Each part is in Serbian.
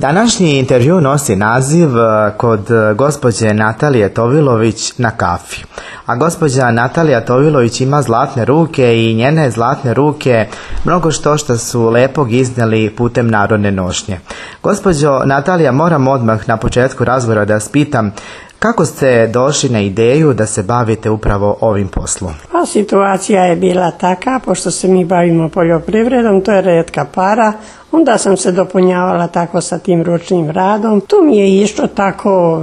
Današnji intervju nosi naziv Kod gospođe Natalije Tovilović na kafi. A gospođa Natalija Tovilović ima zlatne ruke i njene zlatne ruke mnogo što su lepog iznijeli putem narodne nošnje. Gospođo Natalija, moram odmah na početku razgovora da vas pitam kako ste došli na ideju da se bavite upravo ovim poslom? Pa situacija je bila taka, pošto se mi bavimo poljoprivredom, to je retka para, onda sam se dopunjavala tako sa tim ručnim radom. Tu mi je išlo tako,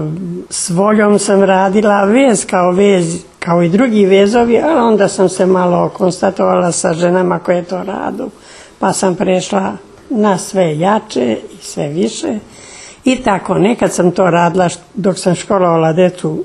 s voljom sam radila, vez kao i drugi vezovi, ali onda sam se malo konstatovala sa ženama koje to radu, pa sam prešla na sve jače i sve više. I tako, nekad sam to radila dok sam školovala decu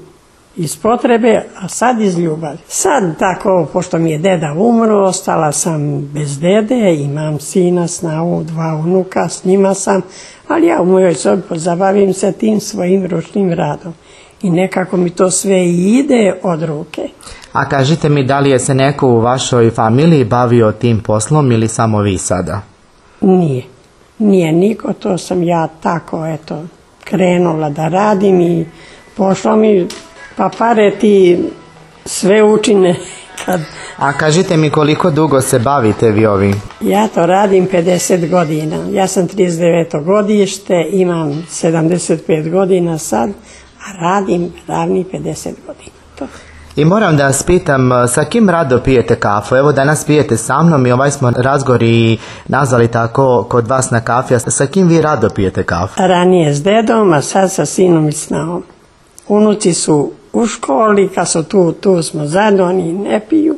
iz potrebe, a sad iz ljubavi. Sad tako, pošto mi je deda umro, ostala sam bez dede, imam sina, snahu, 2 unuka, s njima sam, ali ja u mojoj sobi pozabavim se tim svojim ručnim radom. I nekako mi to sve ide od ruke. A kažite mi, da li je se neko u vašoj familiji bavio tim poslom ili samo vi sada? Nije niko, to sam ja tako, krenula da radim i pošlo mi, pa pare ti sve učine. A kažite mi, koliko dugo se bavite vi ovim? Ja to radim 50 godina. Ja sam 39. godište, imam 75 godina sad, a radim ravni 50 godina. To. I moram da vas pitam, sa kim rado pijete kafu? Evo danas pijete sa mnom i ovaj smo razgovor i nazvali tako kod vas na kafi. Sa kim vi rado pijete kafu? Ranije s dedom, a sad sa sinom i snahom. Unuci su u školi, kad su tu smo zajedno, oni ne piju,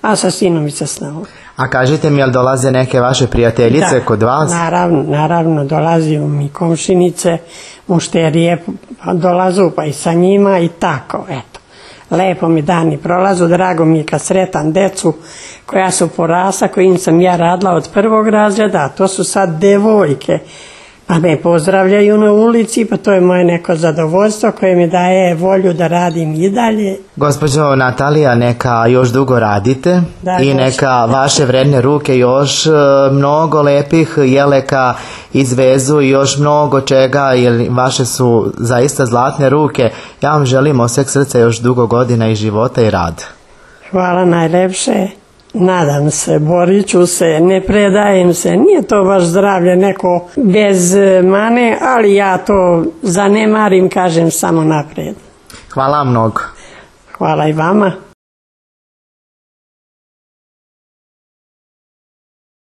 a sa sinom i sa snahom. A kažite mi, jel dolaze neke vaše prijateljice kod vas? Naravno, dolazi mi komšinice, mušterije dolazu, pa i sa njima i tako, eto. Lepo mi dani prolazu, drago mi je kad sretam decu koja su porasla, kojim sam ja radila od 1. razreda, a to su sad devojke. Pa me pozdravljaju na ulici, pa to je moje neko zadovoljstvo koje mi daje volju da radim i dalje. Gospođo Natalija, neka još dugo radite i neka vaše vredne ruke još mnogo lepih jeleka izvezu i još mnogo čega, jer vaše su zaista zlatne ruke. Ja vam želim od sveg srca još dugo godina i života i rad. Hvala najlepše. Nadam se, borit ću se, ne predajem se, nije to baš zdravlje neko bez mane, ali ja to zanemarim, kažem samo naprijed. Hvala vam mnogo. Hvala i vama.